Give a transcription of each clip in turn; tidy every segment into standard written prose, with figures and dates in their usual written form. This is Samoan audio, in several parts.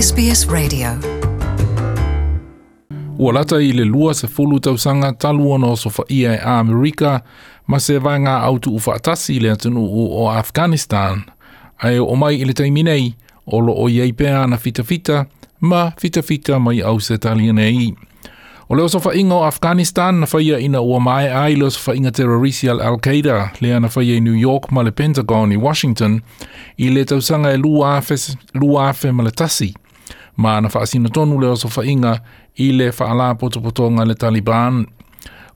SBS Radio. Ua lata i le 20 tausaga talu ona osofaia e Amerika ma se vaega au tuufaatasi le atunuu o Afghanistan, ae oo mai i le taimi nei, o lo o i ai pea ana fitafita ma fitafita mai Ausetalia nei. O le osofaiga o Afghanistan na faia ina ua maea ai le osofaiga terrorisi a le Al-Qaeda lea na faia i New York ma le Pentagon i Washington i le tausaga e 2001, ma na faasino tonu le osofaiga i le faalapotopotoga a le Taliban.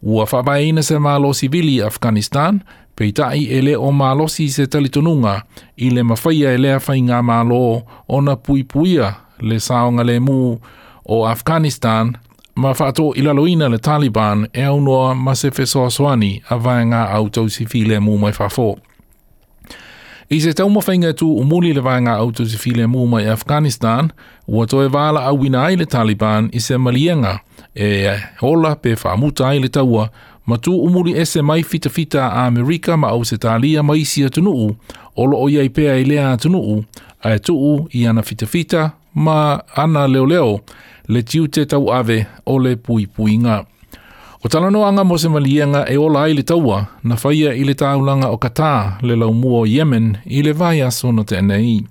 Ua faavaeina se malo sivili i Afghanistan, peitai e le o malosi se talitonuga i le mafaia e lea faigamalo ona puipuia le saogalemu o Afghanistan ma faatoilaloina le Taliban e aunoa ma se fesoasoani a vaega au tausi filemu mai fafo. I se taumafaiga e tuumuli le vaega au tausi filemu mai Afghanistan, ua toe valaauina ai le Taliban i se maliega e ola pe faamuta ai le taua ma tuumuli ese mai fitafita a Amerika ma Ausetalia ma isi atunuu o lo o i ai pea i lea atunuu, ae tuu i ana fitafita ma ana leoleo le tiute tauave o le puipuiga. O talanoaga mo se maliega e ola ai le taua na faia i le taulaga o Qatar le laumua o Yemen i le vaiaso na tea nei.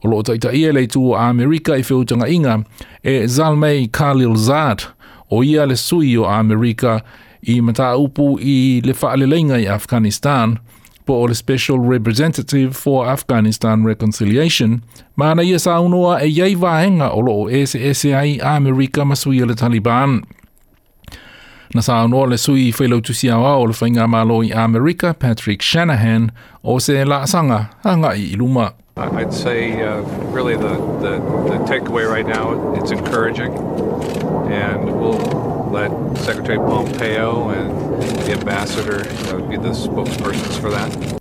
O lo o taitaia le itu o Amerika i feutagaiga e Zalmay Khalilzad, o ia le sui o Amerika i mataupu i le faaleleiga i Afghanistan, po o le Special Representative for Afghanistan Reconciliation, ma na ia saunoa e i ai vaega o lo o eseese ai Amerika ma sui o le Taliban. Na saunoa le sui failautusi aoao o le Faigamalo i Amerika, Patrick Shanahan, o se laasaga agai i luma. I'd say really the takeaway right now, it's encouraging, and we'll let Secretary Pompeo and the ambassador be the spokespersons for that.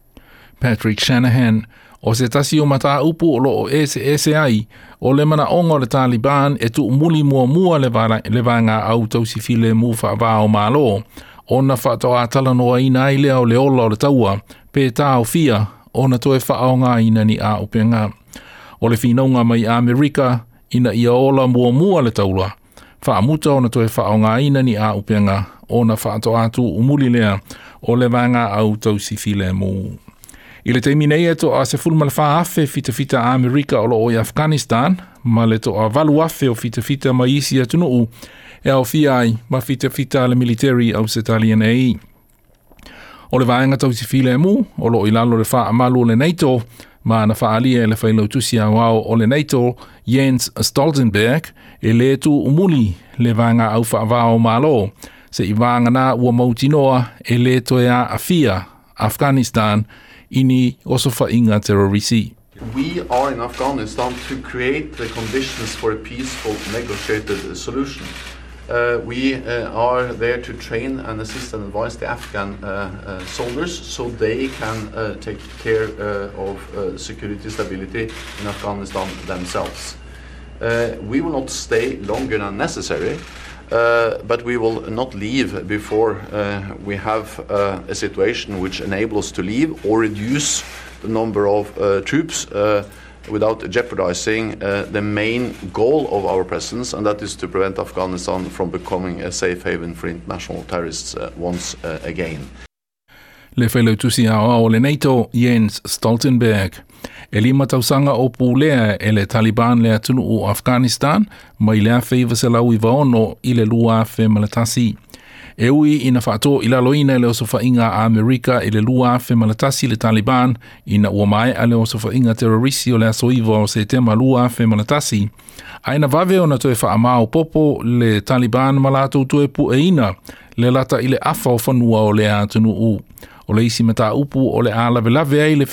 Patrick Shanahan, o se tasi o mataupu o lo o eseese ai, o le manaʻoga o le Taliban e tuumuli muamua le le vaega au tausi filemu faava o Malo, ona faatoa talanoaina ai lea o le ola o le taua, pe taofia ona toe faaaogaina ni auupega. O le finauga mai Amerika ina ia ola muamua le taua, faamuta ona toe faaaogaina ni auupega ona faatoa tuumuli lea o le vaega au tausi filemu. I le taimi nei e toa 14,000 fitafita a Amerika o lo o i Afghanistan, ma le toa 8,000 o fitafita mai isi atunuu e aofia ai ma fitafita a le military Ausetalia nei. O le vaega tausi filemu o lo o i lalo o le faamalu o le NATO, ma na faaalia e le failautusi aoao o le NATO Jens Stoltenberg e le tuumuli le vaega au faava o Malo, seia vagana ua mautinoa e le toe aafia Afghanistan i ni osofaiga terrorisi. We are in Afghanistan to create the conditions for a peaceful negotiated solution. We are there to train and assist and advise the Afghan soldiers so they can take care of security stability in Afghanistan themselves. We will not stay longer than necessary, but we will not leave before we have a situation which enables us to leave or reduce the number of troops without jeopardizing the main goal of our presence, and that is to prevent Afghanistan from becoming a safe haven for international terrorists once again. Le failautusi aoao o le NATO, Jens Stoltenberg. E 5 tausaga o pulea e le Taliban le atunuu o Afghanistan mai le 1996 i le 2001. E ui ina faatoilaloina e le osofaiga a Amerika i le 2001 le Taliban ina ua maea le osofaiga terrorisi o le aso 9 o Setema 2001, ae na vave ona toe faamaopoopo le Taliban ma latou toe pueina le lata i le afa o fanua o lea atunuu. O le isi mataupu o le a lavelave ai le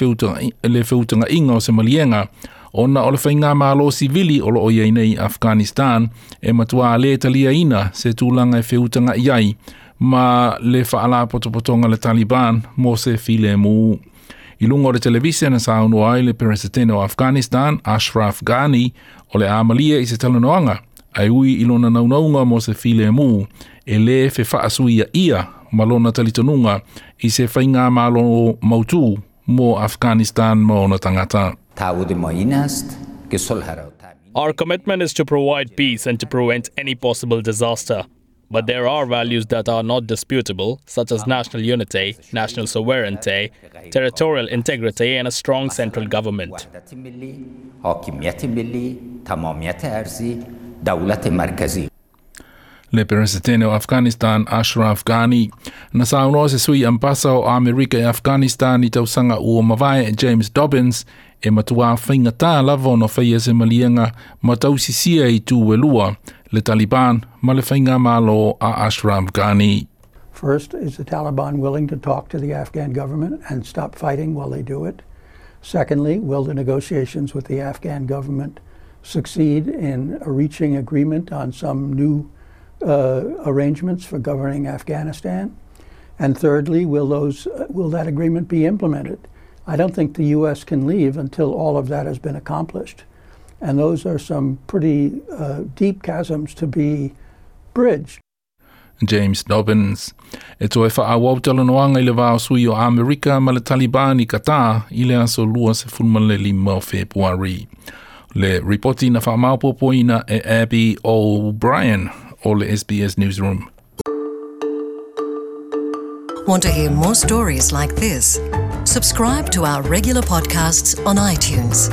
feutagaiga o se maliega, ona o le faigamalo sivili o lo o i ai nei i Afghanistan e matua le taliaina se tulaga e feutagai ai ma le faalapotopotoga le Taliban mo se filemu. I luga o le televise na saunoa ai le Peresetene o Afghanistan, Ashraf Ghani, o le a malie i se talanoaga, ae ui i lona naunauga mo se filemu, e lē fefaasuiaia ma lona talitonuga i se faigamalo mautū mo Afghanistan ma ona tagata. Our commitment is to provide peace and to prevent any possible disaster. But there are values that are not disputable, such as national unity, national sovereignty, territorial integrity, and a strong central government. Le Peresetene o Afghanistan Ashraf Ghani. Na saunoa se sui ambasa o Amerika e Afghanistan i tausaga ua mavae James Dobbins e matuā faigata lava ona faia se maliega ma tausisia i tu e lua le Taliban ma le faigamalo a Ashraf Ghani. First, is the Taliban willing to talk to the Afghan government and stop fighting while they do it? Secondly, will the negotiations with the Afghan government succeed in reaching agreement on some new arrangements for governing Afghanistan? And thirdly, will that agreement be implemented? I don't think the U.S. can leave until all of that has been accomplished. And those are some pretty deep chasms to be bridged. James Dobbins. E toe faaauau talanoaga i le va o sui o Amerika ma le Taliban i Qatar i le aso 25 o Fepuari. Le ripoti na faamaopoopoina e Abby O'Brien o le SBS Newsroom. Want to hear more stories like this? Subscribe to our regular podcasts on iTunes.